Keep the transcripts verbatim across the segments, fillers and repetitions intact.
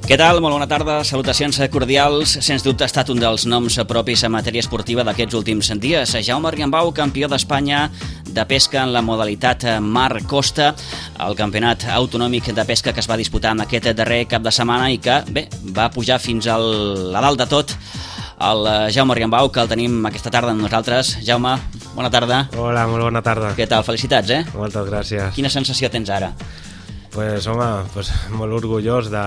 Què tal? Molt bona tarda, salutacions cordials. Sens dubte ha estat un dels noms propis en matèria esportiva d'aquests últims dies. Jaume Riambau, campió d'Espanya de pesca en la modalitat mar-costa, el campionat autonòmic de pesca que es va disputar en aquest darrer cap de setmana i que, bé, va pujar fins al, a dalt de tot el Jaume Riambau, que el tenim aquesta tarda amb nosaltres. Jaume, bona tarda. Hola, molt bona tarda. Què tal? Felicitats, eh? Moltes gràcies. Quina sensació tens ara? Pues, home, pues, molt orgullós de,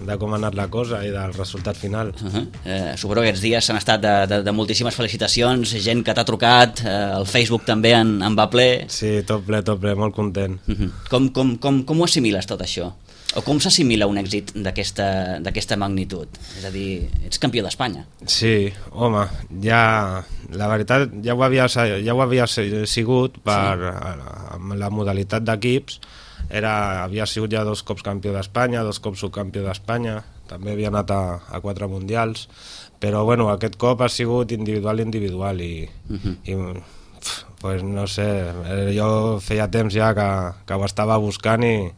de com ha anat la cosa i del resultat final. Uh -huh. eh, suposo que aquests dies s'han estat de, de, de moltíssimes felicitacions, gent que t'ha trucat, eh, el Facebook també en, en va ple. Sí, tot ple, tot ple, molt content. Uh -huh. com, com, com, com ho assimiles tot això? O com s'assimila un èxit d'aquesta magnitud? És a dir, ets campió d'Espanya. Sí, home, ja, la veritat ja ho havia, ja ho havia sigut per sí. Amb la modalitat d'equips. Era, havia sigut ja dos cops campió d'Espanya, dos cops subcampió d'Espanya, també havia anat a, a quatre mundials, però bueno, aquest cop ha sigut individual individual i, uh -huh. i pf, pues no sé, jo feia temps ja que, que ho estava buscant i,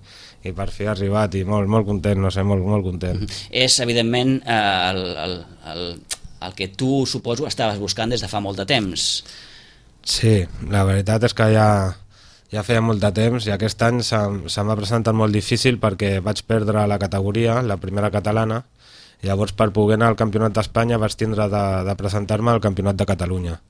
i per fi ha arribat i molt, molt content, no sé, molt, molt content. Uh -huh. És evidentment eh, el, el, el, el que tu, suposo, estaves buscant des de fa molt de temps. Sí, la veritat és que ja... Ja feia molt de temps i aquest any se, se m'ha presentat molt difícil perquè vaig perdre la categoria, la primera catalana, i llavors per poder anar al Campionat d'Espanya vaig tindre de, de presentar-me al Campionat de Catalunya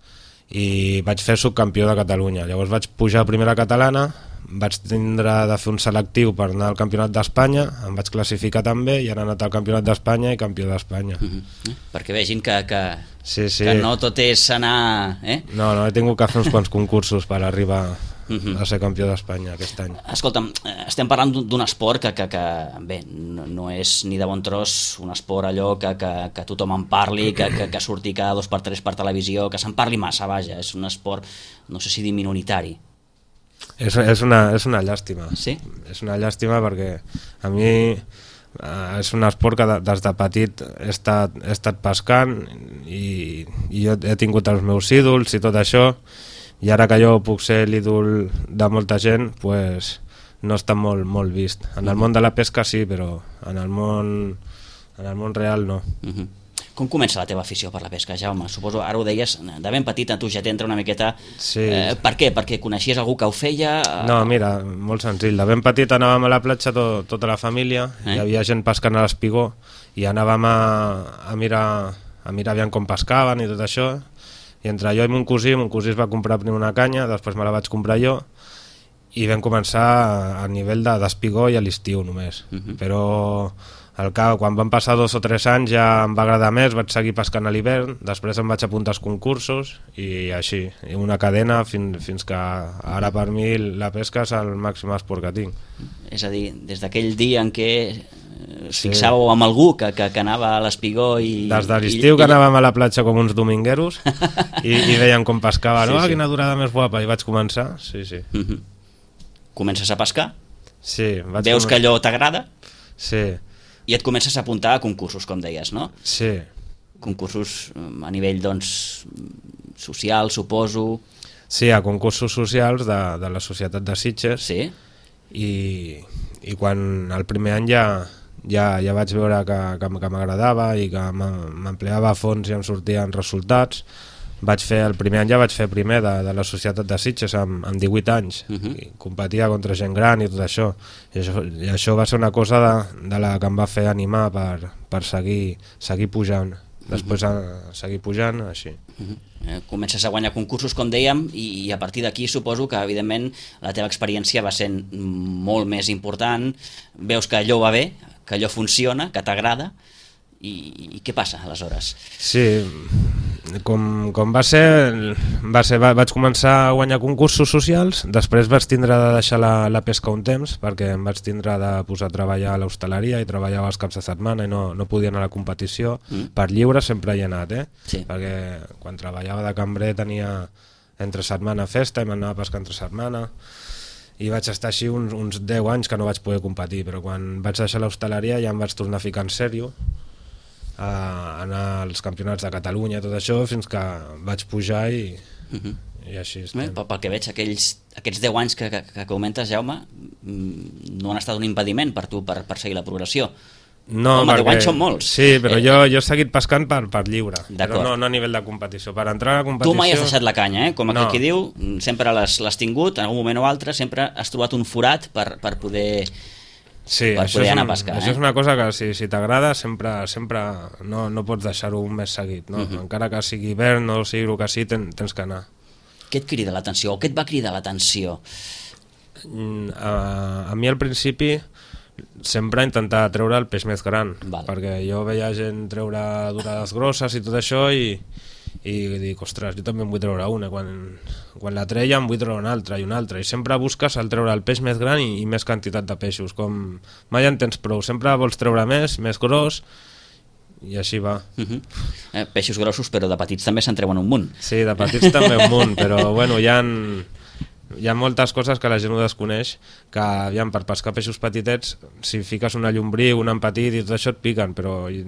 i vaig fer subcampió de Catalunya. Llavors vaig pujar a primera catalana, vaig tindre de fer un selectiu per anar al Campionat d'Espanya, em vaig classificar també i he anat al Campionat d'Espanya i campió d'Espanya. Uh -huh. Perquè vegin que, que, sí, sí. que no tot és anar... Eh? No, no, he tingut que fer uns quants concursos per arribar a ser campió d'Espanya aquest any. Escolta'm, estem parlant d'un esport que, que, que bé, no, no és ni de bon tros un esport allò que, que, que tothom en parli, que, que, que surti cada dos per tres per televisió, que se'n parli massa, vaja, és un esport, no sé si dir minoritari. És, és, una, és una llàstima. Sí? És una llàstima perquè a mi eh, és un esport que des de petit he estat, he estat pescant i, i jo he tingut els meus ídols i tot això, i ara que jo puc ser l'ídol de molta gent, pues, no està molt, molt vist. En el món de la pesca sí, però en el món, en el món real no. Uh-huh. Com comença la teva afició per la pesca, Jaume? Suposo, ara ho deies, de ben petit a tu ja t'entra una miqueta... Sí. Eh, per què? Perquè coneixies algú que ho feia? No, mira, molt senzill. De ben petit anàvem a la platja to, tota la família, eh? Hi havia gent pescant a l'espigó i anàvem a, a mirar a mirar aviam com pescaven i tot això. I entre jo i mon cosí, mon cosí es va comprar primer una canya, després me la vaig comprar jo, i vam començar a nivell d'espigó i a l'estiu només. Uh -huh. Però al cap, quan van passar dos o tres anys ja em va agradar més, vaig seguir pescant a l'hivern, després em vaig apuntar als concursos i així, una cadena fins, fins que ara per mi la pesca és el màxim esport que tinc. És a dir, des d'aquell dia en què es fixàveu amb algú que, que, que anava a l'espigó i... Des de l'estiu que anàvem a la platja com uns domingueros i, i veiem com pescava, no? Sí, sí. Quina durada més guapa, i vaig començar, sí, sí. Uh -huh. Comences a pescar? Sí. Vaig Veus començar... que allò t'agrada? Sí. I et comences a apuntar a concursos, com deies, no? Sí. Concursos a nivell, doncs, social, suposo... Sí, a concursos socials de, de la Societat de Sitges. Sí. I, i quan el primer any ja... Ja, ja vaig veure que, que, que m'agradava i que m'empleava a fons i em sortien resultats. Vaig fer, el primer any ja vaig fer primer de, de la Societat de Sitges amb, amb divuit anys, uh -huh. i competia contra gent gran i tot això. I això, i això va ser una cosa de, de la que em va fer animar per, per seguir, seguir pujant. Després uh -huh. a seguir pujant, així. Uh -huh. eh, comences a guanyar concursos, com dèiem, i, i a partir d'aquí suposo que, evidentment, la teva experiència va sent molt més important. Veus que allò va bé, que allò funciona, que t'agrada, i, i què passa aleshores? Sí, com, com va ser, va ser va, vaig començar a guanyar concursos socials, després vaig tindre de deixar la, la pesca un temps, perquè em vaig tindre de posar a treballar a l'hostaleria i treballava els caps de setmana i no, no podia anar a la competició. Mm. Per lliure sempre hi he anat, eh? Sí. Perquè quan treballava de cambrer tenia entre setmana festa i m'anava a pescar entre setmana, i vaig estar així uns, uns deu anys que no vaig poder competir, però quan vaig deixar l'hostaleria ja em vaig tornar a ficar en sèrio, a anar als campionats de Catalunya i tot això, fins que vaig pujar i, uh -huh. i així estem. Bé, pel que veig, aquells, aquests deu anys que, que, que comentes, Jaume, no han estat un impediment per tu per, per seguir la progressió. No, Home, perquè... deu anys són molts. Sí, però eh, jo, jo he seguit pescant per, per lliure, però no, no a nivell de competició. Per entrar a la competició... Tu mai has deixat la canya, eh? Com aquell no. qui diu, sempre l'has tingut, en algun moment o altre, sempre has trobat un forat per, per poder, sí, per poder anar un, a pescar. Això eh? és una cosa que si, si t'agrada sempre, sempre no, no pots deixar-ho un mes seguit. No? Uh -huh. Encara que sigui hivern o sigui el que sigui, ten, tens que anar. Què et crida l'atenció o què et va cridar l'atenció? A, a mi al principi sempre intentar treure el peix més gran, Val. perquè jo veia gent treure durades grosses i tot això i, i dic, ostres, jo també en vull treure una, quan, quan la treia en vull treure una altra i una altra, i sempre busques el treure el peix més gran i, i més quantitat de peixos, com mai en tens prou, sempre vols treure més, més gros, i així va. Uh -huh. eh, peixos grossos, però de petits també se'n treuen un munt. Sí, de petits també un munt, però bueno, hi ha... Hi ha moltes coses que la gent no desconeix, que aviam, per pescar peixos petitets, si fiques una llombrí, un empetit i tot això et piquen, però i,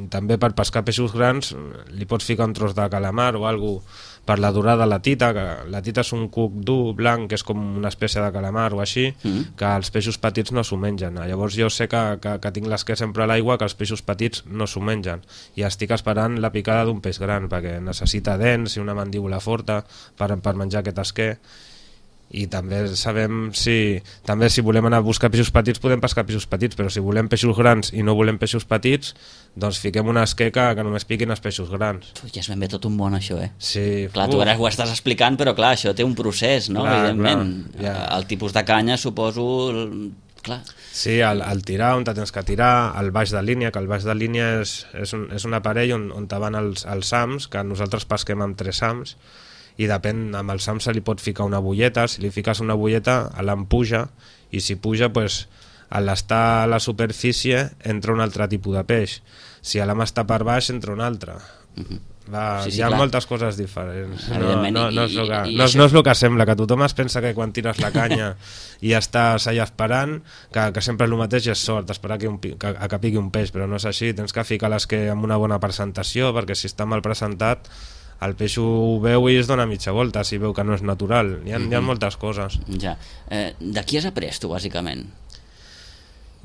també per pescar peixos grans li pots ficar un tros de calamar o alguna cosa per la durada la tita, que la tita és un cuc dur, blanc, que és com una espècie de calamar o així, mm. que els peixos petits no s'ho mengen. Llavors jo sé que, que, que tinc l'esquer sempre a l'aigua, que els peixos petits no s'ho mengen, i estic esperant la picada d'un peix gran, perquè necessita dents i una mandíbula forta per, per menjar aquest esquer. I també sabem si també si volem anar a buscar peixos petits podem pescar peixos petits, però si volem peixos grans i no volem peixos petits, doncs fiquem una esqueca que només piquin els peixos grans. Ja és ben bé tot un món això, eh? Sí. Clar, tu ara ho estàs explicant, però clar, això té un procés, no? Clar, evidentment. Clar, ja. El tipus de canya, suposo... Clar. Sí, el, el tirar, on te tens que tirar, el baix de línia, que el baix de línia és, és, un, és un aparell on, on te van els, els sams, que nosaltres pesquem amb tres sams, i depèn, amb el SAM se li pot ficar una bulleta, si li fiques una bulleta l'am puja, i si puja pues, a l'estar a la superfície entra un altre tipus de peix, si l'am està per baix entra un altre. Uh-huh. Va, sí, sí, hi ha clar. Moltes coses diferents, no, no, no, és el que, no, no és el que sembla, que tothom es pensa que quan tires la canya i estàs allà esperant, que, que sempre el mateix és sort, esperar que, un, que, que piqui un peix, però no és així, tens que ficar l'esquer amb una bona presentació, perquè si està mal presentat el peix ho veu i es dona mitja volta si veu que no és natural. Hi ha, mm-hmm. hi ha moltes coses. Ja. Eh, de qui has après tu, bàsicament?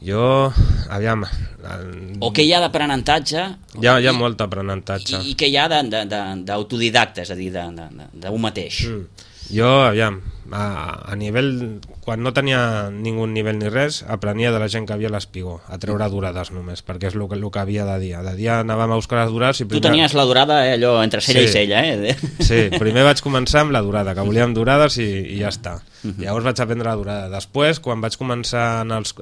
Jo, aviam... El... O què hi ha d'aprenentatge? Hi ha, hi ha molt aprenentatge. I, i què hi ha d'autodidacta, és a dir, d'un mateix? Mm. Jo, aviam, a, a nivell... Quan no tenia ningú nivell ni res, aprenia de la gent que havia a l'espigó, a treure durades només, perquè és el que, el que havia de dia. De dia anàvem a buscar les durades i primer... Tu tenies la durada, eh, allò, entre cella sí. i cella, eh? Sí, primer vaig començar amb la durada, que volíem durades i, i ja està. Uh-huh. Llavors vaig aprendre la durada. Després, quan vaig començar en els,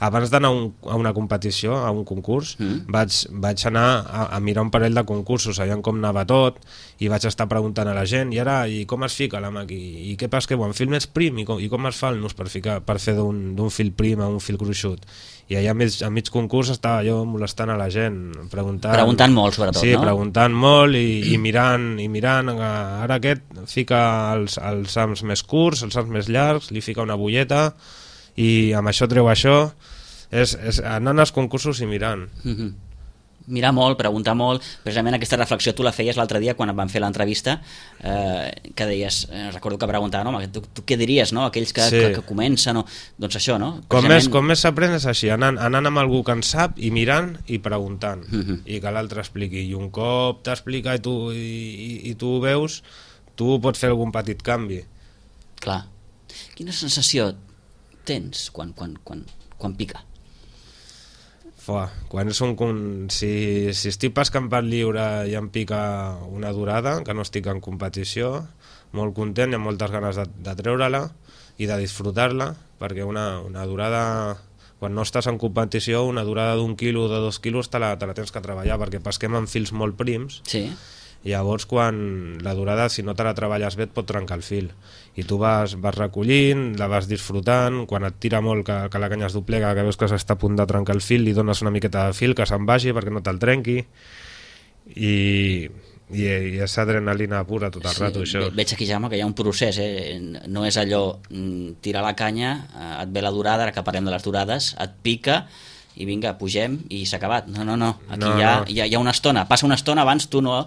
abans d'anar un, a una competició, a un concurs, uh-huh. vaig, vaig anar a, a mirar un parell de concursos, sabíem com anava tot, i vaig estar preguntant a la gent, i ara, i com es fica la màquina? I què pesqueu? En fil més prim? I com, i com es fa el nus per, ficar, per fer d'un fil prim a un fil gruixut? I allà a mig, a mig concurs estava jo molestant a la gent, preguntant... Preguntant molt, sobretot, sí, no? Sí, preguntant molt i, i mirant, i mirant, ara aquest fica els, els sams més curts, els sams més llargs, li fica una bulleta, i amb això treu això, és, és anant als concursos i mirant. Mhm. Mirar molt, preguntar molt. Precisament aquesta reflexió tu la feies l'altre dia quan em van fer l'entrevista, eh, que deies, eh, recordo que preguntava, no, tu, tu què diries, no? Aquells que, sí. que, que comencen, no? Doncs això, no? Com Precisament... més, com més s'aprèn és així, anant, anant amb algú que en sap i mirant i preguntant, uh-huh. i que l'altre expliqui, i un cop t'explica i tu, i, i, i tu ho veus, tu pots fer algun petit canvi. Clar. Quina sensació tens quan, quan, quan, quan pica? Fua, quan és un, si, si estic pescant per lliure i em pica una durada, que no estic en competició, molt content, hi ha moltes ganes de, de treure-la i de disfrutar-la, perquè una, una durada, quan no estàs en competició, una durada d'un quilo o de dos quilos te la, te la tens que treballar, perquè pesquem amb fils molt prims, sí. i llavors quan la durada, si no te la treballes bé, et pot trencar el fil, i tu vas, vas recollint, la vas disfrutant, quan et tira molt que, que la canya es doblega, que veus que s'està a punt de trencar el fil, li dones una miqueta de fil que se'n vagi perquè no te'l trenqui, i, i, i és adrenalina pura tot el sí, rato això. Veig aquí, Jaume, que hi ha un procés, eh? No és allò tirar la canya, et ve la durada, ara que parlem de les durades, et pica i vinga, pugem i s'ha acabat. No, no, no, aquí no, hi, ha, no. Hi, ha, hi ha una estona, passa una estona abans, tu no...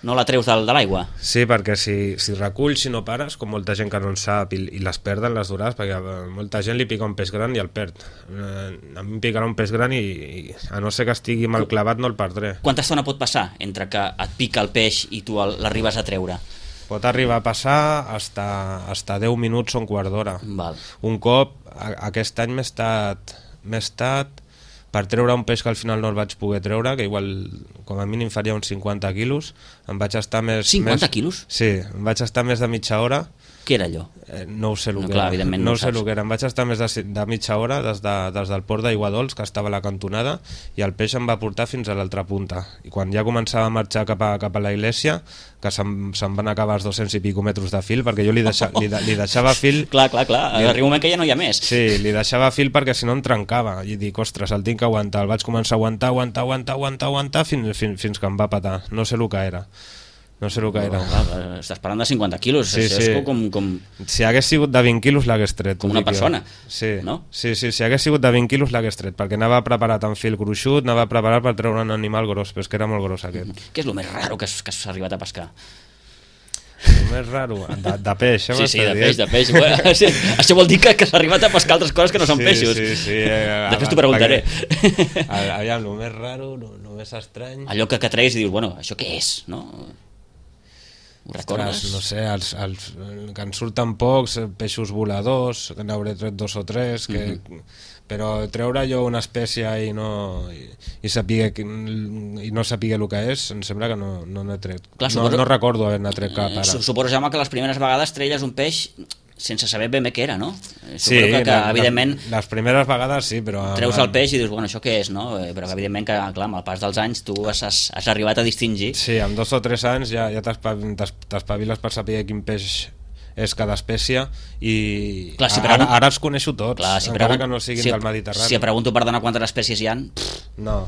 No la treus de, de l'aigua? Sí, perquè si, si reculls, si no pares, com molta gent que no en sap i, i les perden les durades, perquè a molta gent li pica un peix gran i el perd. Eh, a mi em picarà un peix gran i, i a no ser que estigui mal clavat no el perdré. Quanta estona pot passar entre que et pica el peix i tu l'arribes a treure? Pot arribar a passar hasta, hasta deu minuts o un quart d'hora. Un cop, a, aquest any m'he estat, m'he estat per treure un peix que al final no el vaig poder treure, que igual com a mínim faria uns cinquanta quilos, em vaig estar més... cinquanta més, quilos? Sí, em vaig estar més de mitja hora. Què era allò? Eh, no ho sé el no, que clar, era. No, no ho sé el que era. Em vaig estar més de, de mitja hora des, de, des del port d'Aiguadols, que estava a la cantonada, i el peix em va portar fins a l'altra punta. I quan ja començava a marxar cap a, cap a la iglesia, que se'm, se'm van acabar els dos-cents i pico metres de fil, perquè jo li, deixa, li, de, li deixava fil... clar, clar, clar. Li... Arriba un moment que ja no hi ha més. Sí, li deixava fil perquè si no em trencava. I dic, ostres, el tinc que aguantar. El vaig començar a aguantar, aguantar, aguantar, aguantar, aguantar fins, fins, fins que em va patar. No sé el que era. No sé el que era. Oh, clar, estàs parlant de cinquanta quilos, sí, això sí. és com, com... Si hagués sigut de vint quilos l'hagués tret. Com una persona, sí. no? Sí, sí, si hagués sigut de vint quilos l'hagués tret, perquè anava preparat amb fil gruixut, anava preparat per treure un animal gros, però és que era molt gros aquest. Mm-hmm. Què és el més raro que has, que has arribat a pescar? El més raro? De, de peix, eh? Sí, sí, de peix, de peix. Bueno, sí, això vol dir que, que s'ha arribat a pescar altres coses que no són sí, peixos. Sí, sí, eh, després t'ho preguntaré. Perquè, aviam, el més raro, el més estrany... Allò que, que treguis i dius, bueno, això què és, no? Ho recordes? No sé, els, els, que en surten pocs, peixos voladors, que n'hauré tret dos o tres, que, mm-hmm. però treure jo una espècie i no, i, i, sapiga, i no sapiga el que és, em sembla que no n'he no tret. Clar, no, suposo, no recordo haver-ne tret cap ara. Suposo, Jaume, que les primeres vegades treies un peix sense saber ben bé què era, no? Sí, que, que, la, evidentment, les primeres vegades sí, però... Treus el peix i dius, bueno, això què és, no? Però evidentment que, clar, amb el pas dels anys tu has, has arribat a distingir. Sí, amb dos o tres anys ja, ja t'espaviles per saber quin peix és cada espècie i clar, si ara, pregunt... ara els coneixo tots, clar, si encara pregunt... que no siguin si, del Mediterrani. Si pregunto per donar quantes espècies hi ha, no.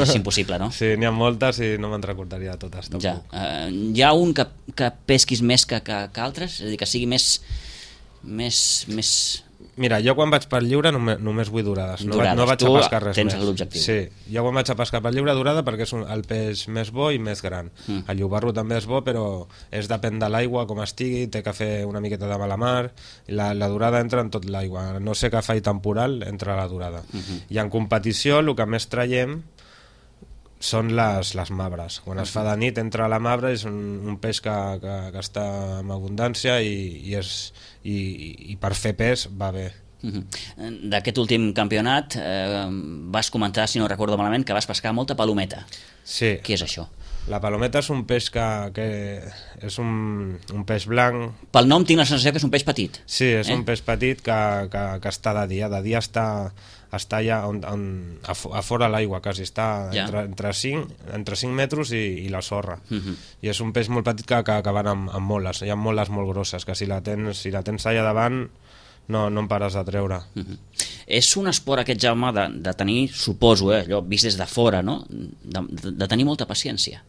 És impossible, no? Sí, n'hi ha moltes i no me'n recordaria totes. Ja. Uh, hi ha un que, que pesquis més que, que, que altres? És a dir, que sigui més... més, més... Mira, jo quan vaig per lliure només, només vull durades, no, durades. no vaig tu a pescar res tens més. l'objectiu. Sí, jo quan vaig a pescar per lliure durada perquè és un, el peix més bo i més gran. Mm. El llobarro també és bo, però és depèn de l'aigua, com estigui, té que fer una miqueta de mala mar, i la, la durada entra en tot l'aigua, no sé què faig temporal, entra la durada. Mm-hmm. I en competició el que més traiem són les, les mabres. Quan es fa de nit entra la mabra, és un, un peix que, que, que està en abundància i, i, és, i, i per fer pes va bé. Uh-huh. D'aquest últim campionat eh, vas comentar, si no recordo malament, que vas pescar molta palometa. Sí. Què és això? La palometa és un peix que, que és un, un peix blanc. Pel nom tinc la sensació que és un peix petit. Sí, és eh? un peix petit que, que, que està de dia. De dia està, està ja on, on, a, a fora l'aigua, quasi està ja. entre, entre, cinc, entre cinc metres i, i la sorra. Uh-huh. I és un peix molt petit que, que, que van amb, amb moles. Hi ha moles molt grosses, que si la tens, si la tens allà davant no, no en pares de treure. Uh-huh. És un esport aquest, Jaume, de, de tenir, suposo, eh, allò vist des de fora, no? de, de, de tenir molta paciència.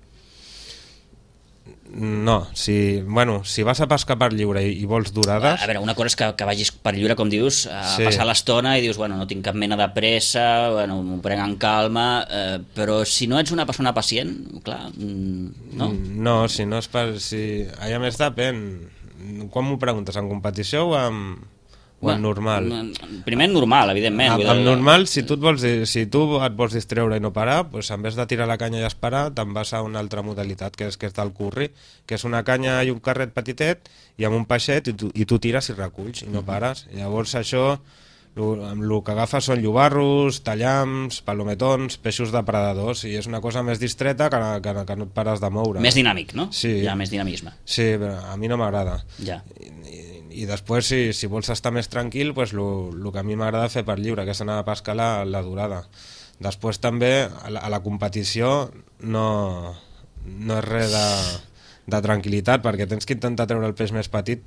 No, si, bueno, si vas a pescar per lliure i, i vols durades... A veure, una cosa és que, que vagis per lliure, com dius, a sí. passar l'estona i dius, bueno, no tinc cap mena de pressa, bueno, m'ho prenc en calma, eh, però si no ets una persona pacient, clar, no? No, si no és per... Si... A més depèn. Quan m'ho preguntes, en competició o en... o en normal? Primer normal, evidentment. En, en normal, si tu, et vols, si tu et vols distreure i no parar, doncs en vez de tirar la canya i esperar, te'n vas a una altra modalitat, que és, que és del curri, que és una canya i un carret petitet i amb un peixet, i tu, i tu tires i reculls i no pares. Llavors això, el que agafes són llobarros, tallams, palometons, peixos depredadors, i és una cosa més distreta que, que, que no et pares de moure. Més dinàmic, no? Sí. Hi ha més dinamisme. Sí, però a mi no m'agrada. Ja. I, i després si, si vols estar més tranquil, pues, el que a mi m'agrada fer per lliure, que és anar a pescar la, la durada. Després també a la, a la competició no, no és res de, de tranquil·litat, perquè tens que intentar treure el peix més petit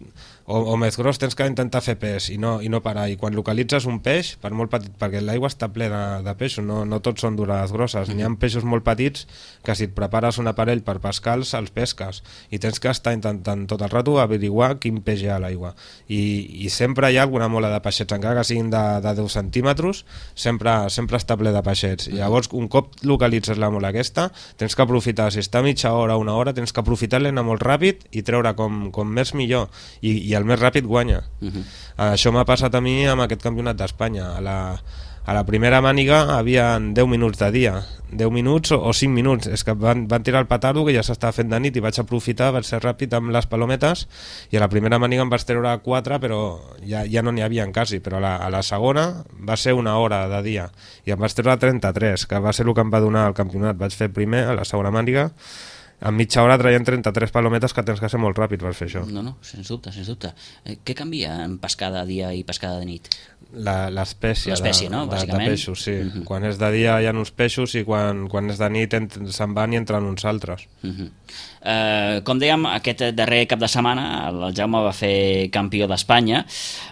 o, o més gros, tens que intentar fer pes i no, i no parar, i quan localitzes un peix, per molt petit, perquè l'aigua està plena de peixos, no, no tots són durades grosses, mm-hmm. n'hi ha peixos molt petits que si et prepares un aparell per pescar-los, els pesques, i tens que estar intentant tot el rato averiguar quin peix hi ha a l'aigua, i, i sempre hi ha alguna mola de peixets, encara que siguin de, de deu centímetres, sempre, sempre està ple de peixets, i llavors un cop localitzes la mola aquesta, tens que aprofitar, si està mitja hora o una hora, tens que aprofitar-la, anar molt ràpid i treure com, com més millor, i, i el més ràpid guanya. Uh-huh. Això m'ha passat a mi amb aquest campionat d'Espanya. A la, a la primera màniga havien deu minuts de dia, deu minuts o, o cinc minuts, és que van, van tirar el petardo que ja s'estava fent de nit i vaig aprofitar, vaig ser ràpid amb les palometes, i a la primera màniga em vaig treure quatre, però ja, ja no n'hi havia quasi, però a la, a la segona va ser una hora de dia i em vaig treure trenta-tres, que va ser el que em va donar el campionat. Vaig fer primer a la segona màniga, en mitja hora traient trenta-tres palometes, que tens que ser molt ràpid per fer això. No, no, sens dubte, sens dubte. Eh, què canvia en pescada de dia i pescada de nit? L'espècie de, no? de, de peixos, sí. Uh-huh. Quan és de dia hi ha uns peixos i quan, quan és de nit se'n van i entren uns altres. Uh-huh. eh, com dèiem, aquest darrer cap de setmana el Jaume va fer campió d'Espanya.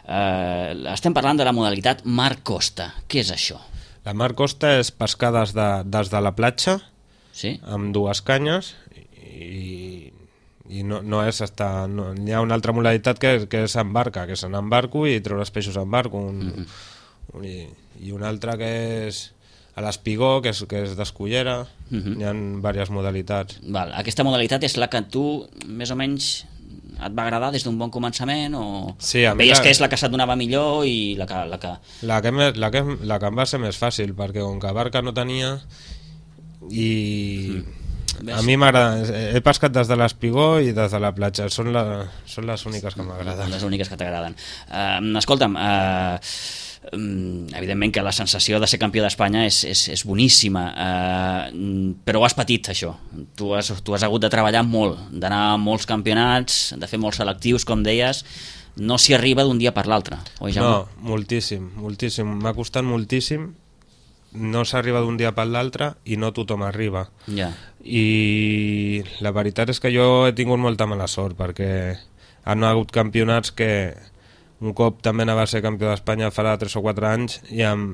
Eh, estem parlant de la modalitat Mar Costa. Què és això? La Mar Costa és pescar des de, des de la platja, sí? Amb dues canyes, i, i no, no és estar, no, hi ha una altra modalitat que, que és en barca, que és anar en barco i treure els peixos en barco, un, mm-hmm. un, i, i una altra que és a l'espigó, que és, que és d'escullera, mm-hmm. hi ha diverses modalitats. Val. Aquesta modalitat és la que tu més o menys et va agradar des d'un bon començament, o sí, veies la... que és la que se't donava millor i la que... La que... La que, me, la que, la que em va ser més fàcil, perquè com que barca no tenia i... Mm. A mi m'agrada, he pescat des de l'espigó i des de la platja, són, la, són les úniques que m'agraden. Les úniques que t'agraden. Uh, escolta'm, uh, um, evidentment que la sensació de ser campió d'Espanya és, és, és boníssima, uh, però ho has patit, això. Tu has, tu has hagut de treballar molt, d'anar a molts campionats, de fer molts selectius, com deies, no s'hi arriba d'un dia per l'altre, oi, Jaume? No, moltíssim, moltíssim, m'ha costat moltíssim, no s'arriba d'un dia per l'altre i no tothom arriba. Yeah. I la veritat és que jo he tingut molta mala sort, perquè han hagut campionats que un cop també anava a ser campió d'Espanya farà tres o quatre anys i em,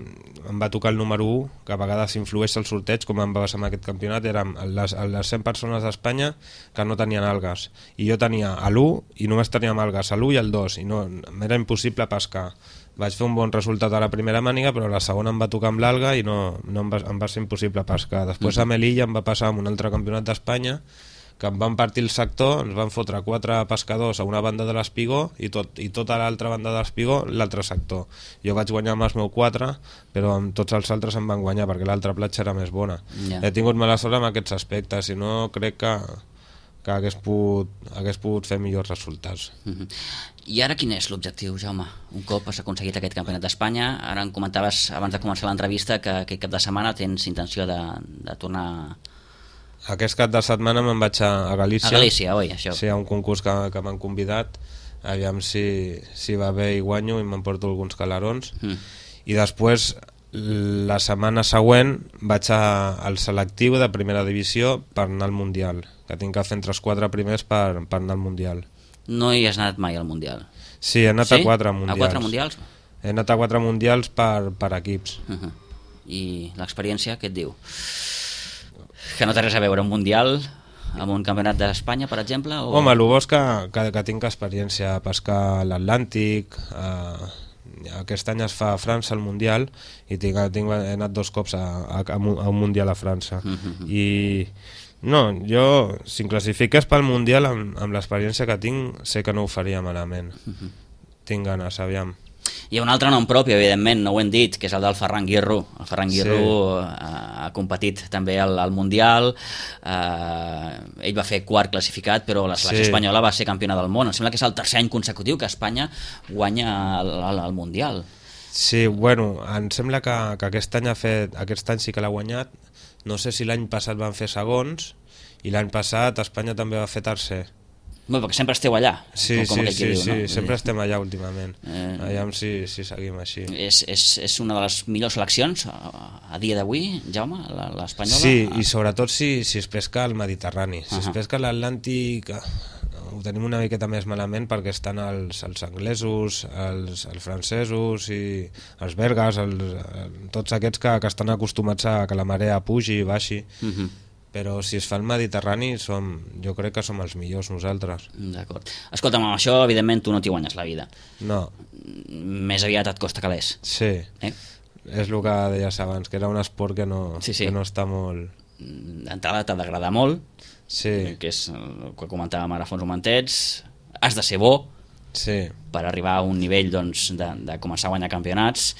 em va tocar el número u, que a vegades influeix el sorteig, com em va passar amb aquest campionat. Érem les, les cent persones d'Espanya que no tenien algues, i jo tenia l'u i només teníem algues, l'u i el dos, i no, m'era impossible pescar. Vaig fer un bon resultat a la primera màniga, però la segona em va tocar amb l'alga i no, no em, va, em va ser impossible pescar. Després a Melilla em va passar amb un altre campionat d'Espanya, que em van partir el sector, ens van fotre quatre pescadors a una banda de l'espigó i, tot, i tota l'altra banda de l'espigó l'altre sector. Jo vaig guanyar amb els meus quatre, però amb tots els altres em van guanyar perquè l'altra platja era més bona. Yeah. He tingut mala sort amb aquests aspectes, si no crec que, que hagués, pogut, hagués pogut fer millors resultats. Uh-huh. I ara quin és l'objectiu, Jaume? Un cop has aconseguit aquest campionat d'Espanya, ara em comentaves abans de començar l'entrevista que aquest cap de setmana tens intenció de, de tornar... Aquest cap de setmana me'n vaig a, a Galícia. A Galícia, oi, això. Sí, a un concurs que, que m'han convidat, aviam si, si va bé i guanyo i m'emporto alguns calarons. Mm. I després, la setmana següent, vaig a, al selectiu de primera divisió per anar al Mundial, que tinc que fer entre els quatre primers per, per anar al Mundial. No hi has anat mai al Mundial? Sí, he anat sí? a quatre Mundials. A quatre Mundials? He anat a quatre Mundials per, per equips. Uh-huh. I l'experiència, què et diu? Que no té res a veure un Mundial amb un campionat d'Espanya, per exemple? O... Home, el bo és que, que, que tinc experiència a pescar a l'Atlàntic, a... aquest any es fa a França el Mundial i tinc, tinc, he anat dos cops a, a, a un Mundial a França. Uh-huh. I no, jo, si em classifiques pel Mundial amb, amb l'experiència que tinc, sé que no ho faria malament. Uh-huh. Tinc ganes, aviam. Hi ha un altre nom propi, evidentment, no ho hem dit, que és el del Ferran Guirro. El Ferran Guirro sí. ha, ha competit també al, al Mundial, eh, ell va fer quart classificat, però la selecció sí. espanyola va ser campiona del món. Em sembla que és el tercer any consecutiu que Espanya guanya el, el, el Mundial. Sí, bueno, em sembla que, que aquest any ha fet, aquest any sí que l'ha guanyat. No sé si l'any passat van fer segons, i l'any passat Espanya també va fer tercer. Bé, perquè sempre esteu allà. Sí, com, com sí, aquell sí, que diu, sí, no? sempre estem allà últimament. Eh, Allà si, si seguim així. És, és, és una de les millors seleccions a, a dia d'avui, Jaume, l'espanyola? Sí, i sobretot si, si es pesca al Mediterrani. Si uh -huh. es pesca a l'Atlàntic ho tenim una miqueta més malament perquè estan els, els anglesos, els, els francesos i els belgues, els, tots aquests que, que estan acostumats a que la marea pugi i baixi. Uh -huh. Però si es fa el Mediterrani som, jo crec que som els millors nosaltres. D'acord. Escolta'm, amb això evidentment tu no t'hi guanyes la vida. No. Més aviat et costa calés. Sí, eh? És el que deies abans, que era un esport que no, sí, sí. que no està molt... D'entrada t'ha d'agradar molt, sí. que és el que comentàvem ara fa uns momentets, has de ser bo sí. per arribar a un nivell doncs, de, de començar a guanyar campionats,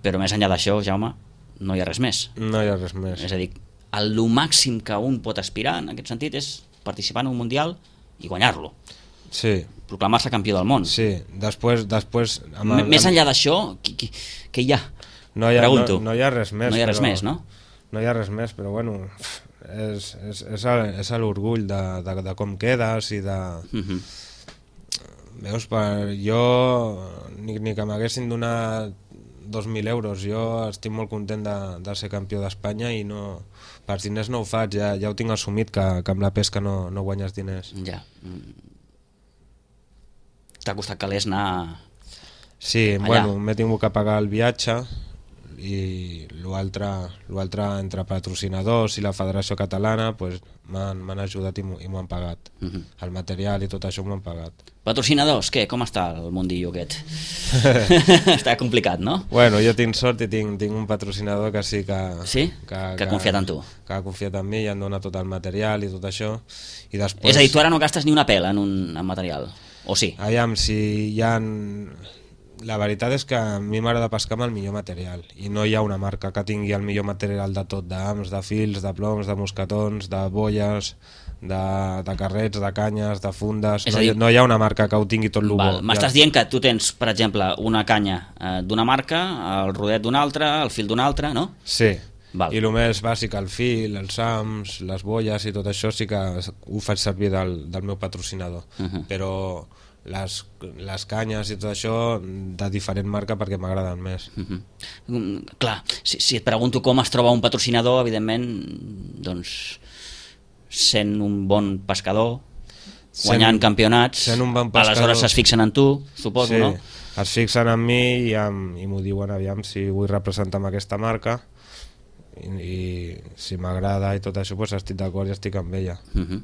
però més enllà d'això, Jaume, no hi ha res més. No hi ha res més. És a dir, el màxim que un pot aspirar en aquest sentit és participar en un mundial i guanyar-lo. Sí. Proclamar-se campió del món. Sí, després... després amb el, més enllà d'això, què, què hi ha? No hi ha, Pregunto. No, no hi ha res més. No hi ha res però, més, no? No hi ha res més, però bueno, és, és, és, és l'orgull de, de, de com quedes i de... Uh -huh. Veus, per, jo ni, ni que m'haguessin donat dos mil euros, jo estic molt content de, de ser campió d'Espanya i no, per diners no ho faig, ja, ja ho tinc assumit que, que amb la pesca no, no guanyes diners. Ja. T'ha costat calés anar... Sí, allà. Bueno, m'he tingut que pagar el viatge i l'altre entre patrocinadors i la Federació Catalana pues, m'han ajudat i m'ho han pagat. Uh -huh. El material i tot això m'ho han pagat. Patrocinadors, què? Com està el mundillo aquest? Està complicat, no? Bueno, jo tinc sort i tinc, tinc un patrocinador que sí que... Sí? Que, que, que ha confiat en tu. Que ha confiat en mi i em dona tot el material i tot això. I després... És a dir, tu ara no gastes ni una pela en un en material, o sí? Aviam, si hi ha... La veritat és que a mi m'agrada pescar amb el millor material i no hi ha una marca que tingui el millor material de tot, d'hams, de fils, de ploms, de mosquetons, de bolles, de, de carrets, de canyes, de fundes. No, dir, no hi ha una marca que ho tingui tot el bo. M'estàs dient que tu tens, per exemple, una canya eh, d'una marca, el rodet d'una altra, el fil d'una altra, no? Sí. Val. I el més bàsic, el fil, els hams, les bolles i tot això sí que ho faig servir del, del meu patrocinador. Uh -huh. Però... Les, les canyes i tot això de diferent marca perquè m'agraden més. Uh -huh. Clar, si, si et pregunto com es troba un patrocinador, evidentment, doncs, sent un bon pescador, guanyant sent, campionats, sent un bon pescador, aleshores es fixen en tu, suposo, sí, no? Es fixen en mi i, amb, i m'ho diuen, aviam, si vull representar amb aquesta marca i, i si m'agrada i tot això, doncs estic d'acord i estic amb ella. Uh -huh.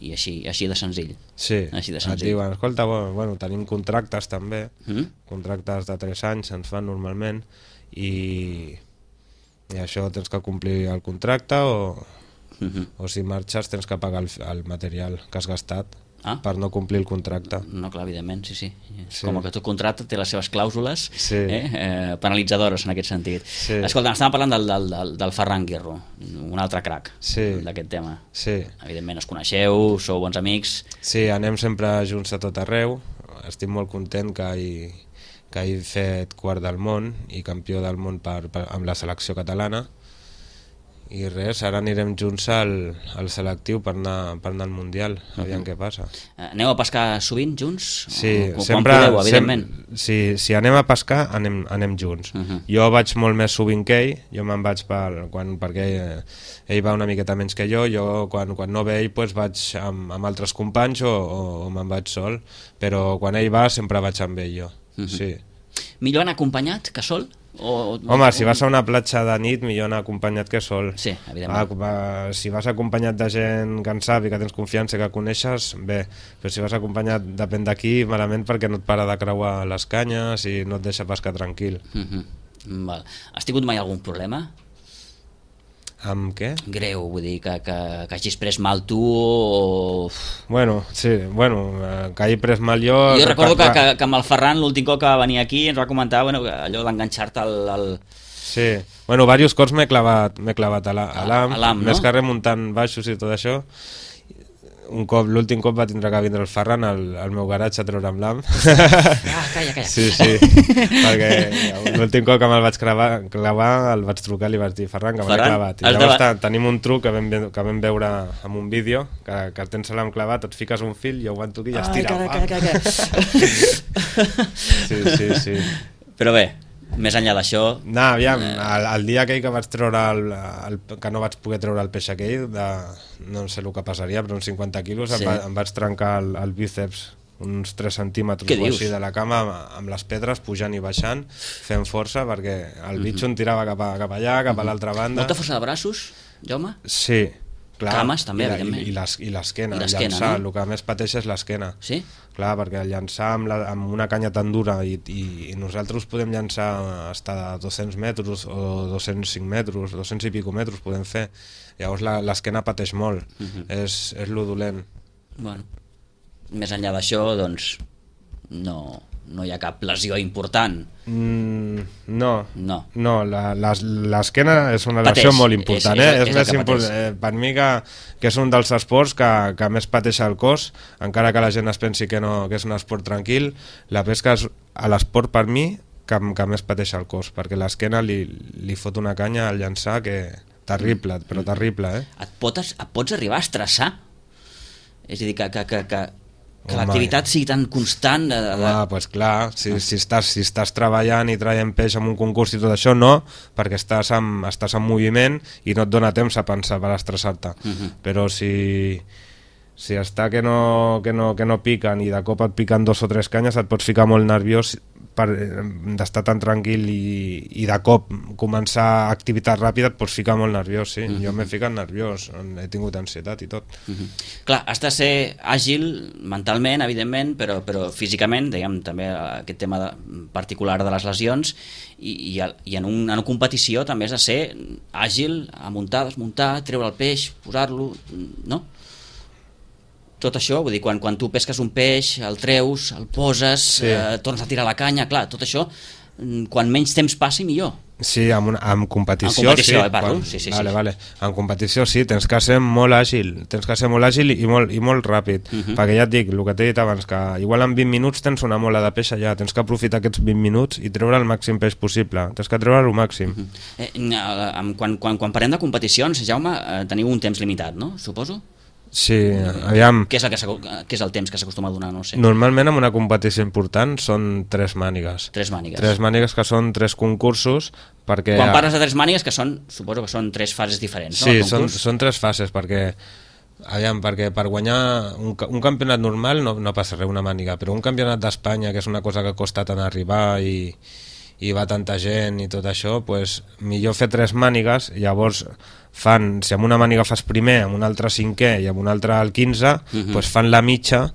I així, així de senzill. Sí, així de senzill. Et diuen, escolta, bueno, bueno, tenim contractes també, mm? contractes de tres anys ens fan normalment i, i això tens que complir el contracte o, mm -hmm. o si marxes tens que pagar el, el material que has gastat ah? per no complir el contracte. No, clar, evidentment, sí, sí. sí. Com que tot contracte té les seves clàusules sí. eh, eh, penalitzadores en aquest sentit. Sí. Escolta, estàvem parlant del, del, del, del Ferran Guirro, un altre crac sí. d'aquest tema. Sí. Evidentment us coneixeu, sou bons amics. Sí, anem sempre junts a tot arreu. Estic molt content que he, que he fet quart del món i campió del món per, per, amb la selecció catalana. I res, ara anirem junts al, al selectiu per anar, per anar al Mundial, aviam uh -huh. què passa. Aneu a pescar sovint junts? Sí, o, sempre, podeu, evidentment. Sem si, si anem a pescar, anem, anem junts. Uh -huh. Jo vaig molt més sovint que ell, jo me'n vaig per, quan, perquè ell, ell va una miqueta menys que jo, jo quan, quan no ve ell pues, vaig amb, amb altres companys o, o, o me'n vaig sol, però quan ell va sempre vaig amb ell jo, uh -huh. sí. Millor anar acompanyat que sol? O, Home, o, si vas a una platja de nit millor anar acompanyat que sol. Sí, evidentment. Va, va, si vas acompanyat de gent que en sap i que tens confiança i que coneixes, bé, però si vas acompanyat depèn d'aquí, malament perquè no et para de creuar les canyes i no et deixa pescar tranquil. Uh -huh. Val. Has tingut mai algun problema? Amb què? Greu, vull dir, que, que, que hagis pres mal tu o... Bueno, sí, bueno, que hagi pres mal jo... Jo recordo que, que, que amb el Ferran l'últim cop que va venir aquí ens va comentar bueno, allò d'enganxar-te al, al... Sí, bueno, diversos cops m'he clavat, m'he clavat a l'A M, no? més que remuntant baixos i tot això. un cop, l'últim cop va tindre que vindre el Ferran al, al meu garatge a treure'm l'am. Ah, calla, calla. Sí, sí, perquè l'últim cop que me'l vaig clavar, clavar el vaig trucar i li vaig dir Ferran, que me l'he clavat. I llavors de... tenim un truc que vam, que vam veure en un vídeo, que, que tens l'am clavat, et fiques un fil, jo ho entoqui i ja es tira. Ai, calla, calla, calla. Sí, sí, sí. Però bé, més enllà d'això... No, aviam, el, el dia aquell que vaig treure el, el, que no vaig poder treure el peix aquell, de, no sé el que passaria, però uns cinquanta quilos, sí. em, va, em vaig trencar el, el bíceps uns tres centímetres o així de la cama, amb les pedres pujant i baixant, fent força, perquè el bitxo em tirava cap, a, cap allà, cap a l'altra banda. Molta força de braços, Jaume? Sí. Clar, cames també, i la, evidentment. I, i l'esquena, llançar, no? El que més pateix és l'esquena. Sí? Clar, perquè llançar amb, la, amb una canya tan dura i, i, i nosaltres podem llançar fins a dos-cents metres o dos-cents cinc metres, dos-cents i pico metres podem fer. Llavors l'esquena pateix molt, uh -huh. és, és lo dolent. Bueno, més enllà d'això, doncs, no... no hi ha cap lesió important. Mm, no, no, no l'esquena és una lesió pateix, molt important. És, és, eh? és, és més important eh, per mi que, que és un dels esports que, que més pateix el cos, encara que la gent es pensi que, no, que és un esport tranquil. La pesca és l'esport per mi que, que més pateix el cos, perquè l'esquena li, li fot una canya al llançar que terrible, mm. però terrible. Eh? Et, pots, et pots arribar a estressar? És a dir, que... que, que, que... que l'activitat sigui tan constant de, de... Ah, pues clar, si, si, estàs, si estàs treballant i traient peix en un concurs i tot això, no, perquè estàs en, estàs en moviment i no et dona temps a pensar per estressar-te. Uh -huh. Però si, si està que no, que, no, que no piquen i de cop et piquen dos o tres canyes, et pots ficar molt nerviós per d'estar tan tranquil i, i de cop començar activitat ràpida et pots ficar molt nerviós, sí. Uh -huh. Jo m'he ficat nerviós, he tingut ansietat i tot. Uh -huh. Clar, has de ser àgil mentalment, evidentment, però, però físicament, diguem, també aquest tema de, particular de les lesions, i, i, i en, un, en una competició també has de ser àgil, a muntar, desmuntar, treure el peix, posar-lo, no? Tot això, vull dir, quan, quan tu pesques un peix, el treus, el poses, sí. eh, tornes a tirar la canya, clar, tot això, quan menys temps passi, millor. Sí, amb, una, amb competició, en competició, sí. Eh, parlo. Quan, sí, sí, vale, sí. Vale. En competició sí, tens que ser molt àgil, tens que ser molt àgil i molt, i molt ràpid, uh -huh. perquè ja et dic, el que t'he dit abans, que igual en vint minuts tens una mola de peix allà, tens que aprofitar aquests vint minuts i treure el màxim peix possible, tens que treure el màxim. Uh -huh. eh, quan, quan, quan parlem de competicions, Jaume, eh, teniu un temps limitat, no? Suposo? Sí, aviam... Què és, el que què és el temps que s'acostuma a donar? No sé. Normalment en una competició important són tres mànigues. Tres mànigues. Tres mànigues que són tres concursos, perquè... Quan parles de tres mànigues, que són, suposo que són tres fases diferents, no? Sí, són, són tres fases, perquè... Aviam, perquè per guanyar un, un campionat normal no, no passa res, una màniga, però un campionat d'Espanya, que és una cosa que costa tant arribar i... i va tanta gent i tot això, pues, millor fer tres mànigues, llavors fan, si amb una màniga fas primer, amb una altra cinquè i amb una altra el quinze, uh-huh. pues fan la mitja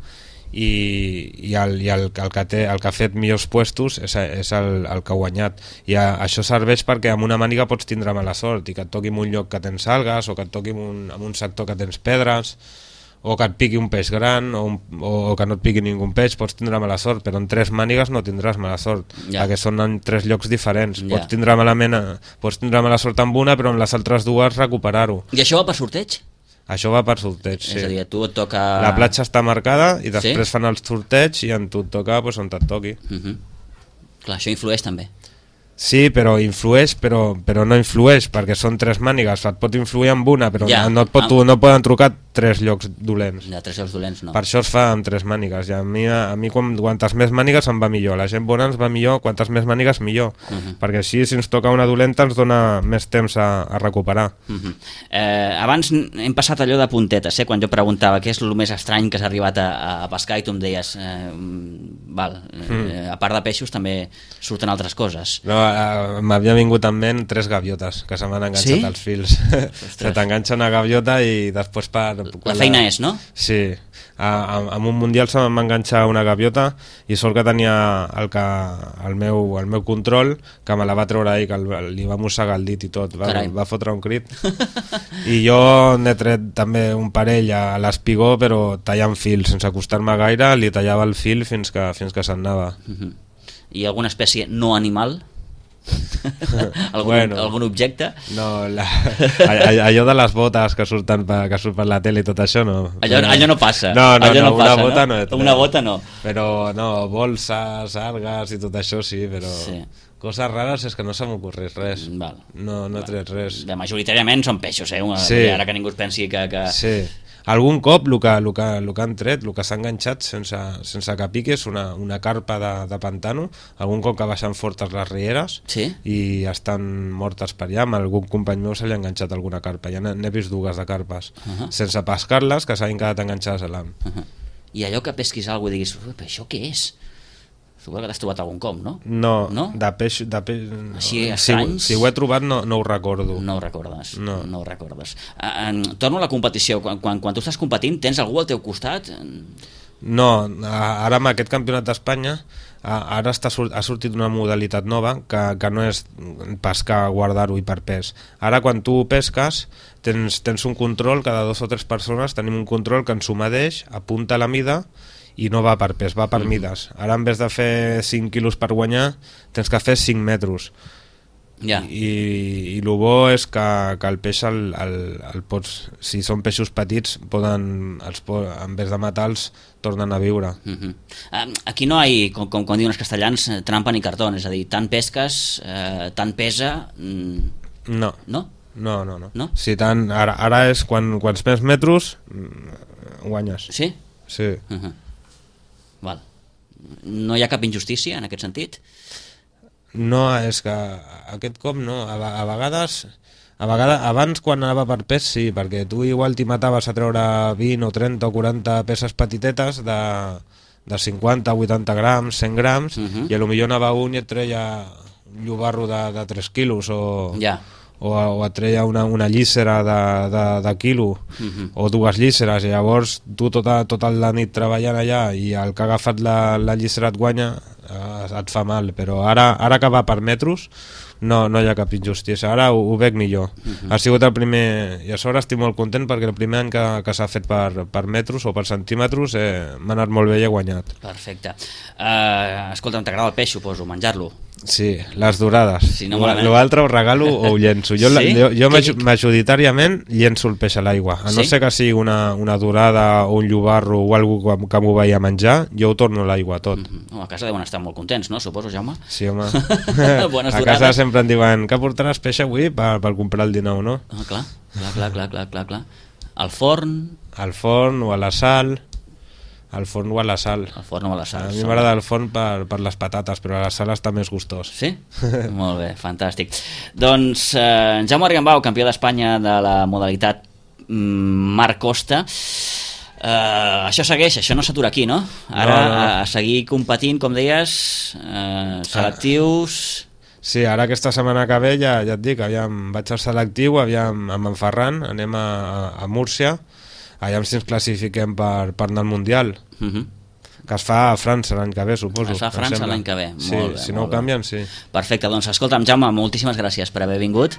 i, i, el, i el, el, que té, el que ha fet millors puestos és, és el, el que ha guanyat, i a, això serveix perquè amb una màniga pots tindre mala sort i que et toqui en un lloc que tens algues o que et toqui en un, en un sector que tens pedres o que et piqui un peix gran o, un, o que no et piqui ningú peix, pots tindre mala sort, però en tres mànigues no tindràs mala sort, ja. perquè són en tres llocs diferents, ja. pots, tindre malament, pots tindre mala sort amb una, però en les altres dues recuperar-ho. I això va per sorteig? Això va per sorteig, sí. És a dir, a tu et toca... La platja està marcada i després sí? fan el sorteig i en tu et toca pues, on et toqui. Uh -huh. Clar, això influeix també. Sí, però influeix, però, però no influeix, perquè són tres mànigues, et pot influir amb una, però ja, no, et pot, no. no poden trucar tres llocs dolents. Ja, tres llocs dolents no. Per això es fa amb tres mànigues, i a mi, a mi quan, quantes més mànigues em va millor, la gent bona ens va millor, quantes més mànigues millor, uh -huh. perquè així si ens toca una dolenta ens dona més temps a, a recuperar. Uh -huh. eh, abans hem passat allò de puntetes, eh? Quan jo preguntava què és el més estrany que has arribat a, a pescar i tu em deies, eh, val, eh, mm. a part de peixos també surten altres coses. No, m'havia vingut en ment tres gaviotes que se m'han enganxat sí? als fils. Se t'enganxa una gaviota i després per... La feina la... és, no? Sí, en un mundial se m'ha enganxat una gaviota i sort que tenia el, que, el, meu, el meu control, que me la va treure ahir, que el, li va mossegar el dit i tot, va, va fotre un crit. I jo n'he tret també un parell a l'espigó, però tallant fils, sense acostar-me gaire, li tallava el fil fins que, fins que se'n anava. Uh-huh. I alguna espècie no animal? algun, bueno, algun objecte? No, la, allò de les botes que surten per, que surt per la tele i tot això no. Allò, allò no passa. No, no, allò no, no una passa, bota no? no. no una bota no. Però no, bolses, algues i tot això sí, però sí. Coses rares és que no se m'ocorreix res. Val. No, no he tret res. Bé, majoritàriament són peixos, eh? Una, sí. Ara que ningú es pensi que... que... Sí. Algun cop el que, el que, el que han tret, el que s'ha enganxat sense, sense que piques, una, una carpa de, de pantano, algun cop que baixen fortes les rieres sí? i estan mortes per allà, amb algun company meu se li ha enganxat alguna carpa, ja n'he vist dues de carpes, uh -huh. sense pescar-les, que s'han quedat enganxades a l'am. Uh -huh. I allò que pesquis alguna cosa i diguis, però això què és? Suposo que t'has trobat algun cop, no? No, no? de peix... De peix no. Així estranys? Si, si ho he trobat no, no ho recordo. No ho recordes, no, no ho recordes. Uh, torno a la competició. Quan, quan, quan tu estàs competint, tens algú al teu costat? No, ara amb aquest campionat d'Espanya ara està, ha sortit una modalitat nova que, que no és pescar, guardar-ho i per pes. Ara quan tu pesques tens, tens un control, cada dos o tres persones tenim un control que ens ho medeix, apunta la mida i no va per pes, va per mm. mides. Ara en vez de fer cinc quilos per guanyar tens que fer cinc metres. Yeah. I, i el bo és que, que el peix el, el, el pots, si són peixos petits poden, els, en vez de matar-los tornen a viure. Uh-huh. uh, aquí no hi ha, com, com, com diuen els castellans, trampa ni cartó, és a dir, tant pesques, eh, tant pesa... Mm... No. No? No, no, no. no? Si tant, ara, ara és quan, quants més metres guanyes. Sí? Sí. Uh-huh. Val. No hi ha cap injustícia en aquest sentit? No, és que aquest cop no, a, a vegades a vegades, abans quan anava per pes sí, perquè tu igual t'hi mataves a treure vint o trenta o quaranta peces petitetes de, de cinquanta, vuitanta grams, cent grams, uh-huh. i a lo millor anava un i et treia un llobarro de, de tres quilos o, ja. o, o et treia una, una llissera de, de, de quilo uh-huh. o dues llisseres, i llavors tu tota, tota la nit treballant allà i el que ha agafat la, la llissera et guanya, eh, et fa mal, però ara, ara que va per metros no, no hi ha cap injustícia, ara ho, ho veig millor. Uh-huh. Ha sigut el primer, i a sobre estic molt content perquè el primer any que, que s'ha fet per, per metros o per centímetres eh, m'ha anat molt bé i he guanyat. Perfecte. Uh, escolta'm, t'agrada el peix, suposo, menjar-lo? Sí, les dorades. Si no l'altre ho regalo o ho llenço. Jo, sí? jo, jo que... majoritàriament llenço el peix a l'aigua, a no sí? ser que sigui una, una dorada o un llobarro o alguna que, que m'ho vaig a menjar, jo ho torno a l'aigua tot. Uh-huh. A casa deuen estar molt contents, no? Suposo, Jaume? Sí, home. Bones a casa dorades. Sempre em diuen que portaràs peix avui per, per comprar el dinou, no? Ah, clar, clar, clar, clar, clar, clar, clar. Al forn? Al forn o a la sal... Al forn o a la sal. Al forn o a la sal. A mi m'agrada el forn per, per les patates, però a la sal està més gustós. Sí? Molt bé, fantàstic. Doncs eh, Jaume Argambau, campió d'Espanya de la modalitat mm, Mar Costa. Eh, això segueix, això no s'atura aquí, no? Ara no, no. A, a seguir competint, com deies, eh, selectius... Sí, ara aquesta setmana que ve ja, ja et dic, aviam, vaig al selectiu, aviam, amb en Ferran, anem a, a Múrcia, allà si ens classifiquem per, per anar al Mundial, uh-huh. que es fa a França l'any que ve, suposo. Es fa a França l'any que ve, sí, molt bé. Si no ho canvien, sí. Perfecte, doncs escolta'm, Jaume, moltíssimes gràcies per haver vingut.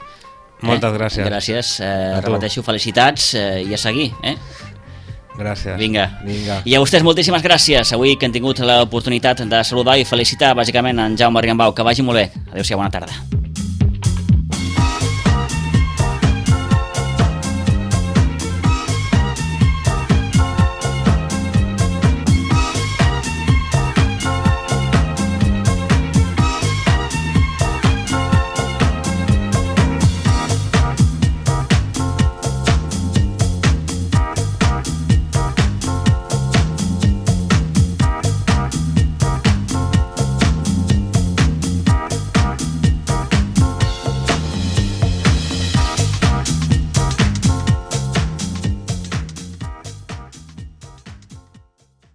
Moltes eh? gràcies. Gràcies, eh, repeteixo, felicitats eh, i a seguir, eh? Gràcies. Vinga. Vinga. I a vostès moltíssimes gràcies, avui que han tingut l'oportunitat de saludar i felicitar bàsicament en Jaume Argambau, que vagi molt bé. Adéu-siau, bona tarda.